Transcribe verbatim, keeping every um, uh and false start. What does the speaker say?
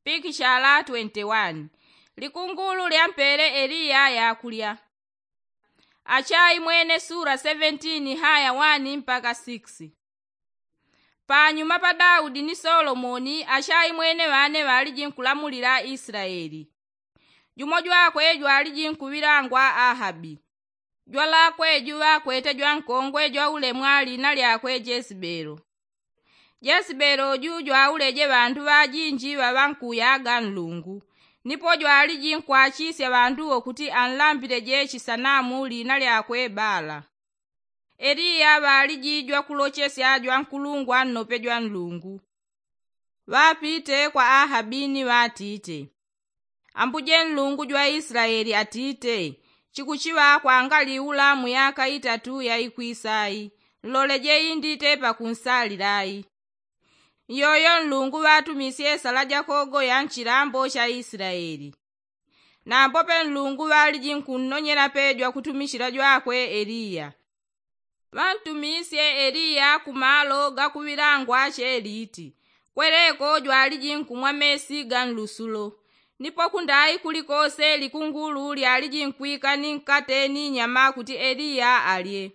Pikishala twenti wani. Likungulu lyampele eliya yakulya. Achaimwene sura seventeen haya wani mpaka six. Panyuma pa daudi ni solomoni achaimwene ŵane ŵaliji nkulamulila islaeli. Jumo jwakwe jwaliji nkuŵilangwa ahabi. Jwalakwe juŵakwete jwankongwe jwaulemwa liina lyakwe jesibelo. Jesibelo ju jwauleje ŵandu ŵajinji ŵaŵankuyaga nlungu. Nipo jwaliji nkwachisya ŵandu wo kuti anlambileje chisanamu liina lyakwe bala. Eliya ŵaliji jwakulochesya jwankulungwa nnope jwanlungu. Ŵapite kwa ahabi ni ŵatite, ambuje nlungu jwa islaeli atite, chikuchiŵa kwangaliula muyaka itatu yaikwisai. Nloleje indite pakunsalilai. Nyoyo nlungu ŵatumisye sala jakogoya nchilambo cha islaeli. Nambope nlungu ŵaliji nkunnonyela pe jwakutumichila jwakwe eliya. Ŵantumisye eliya kumalo gakuŵilangwa cheliti. Kweleko jwaliji nkumwa mesi ga nlusulo. Nipo kundai kulikose likungulu lyaliji nkwika ni nkate ni nyama kuti eliya alye.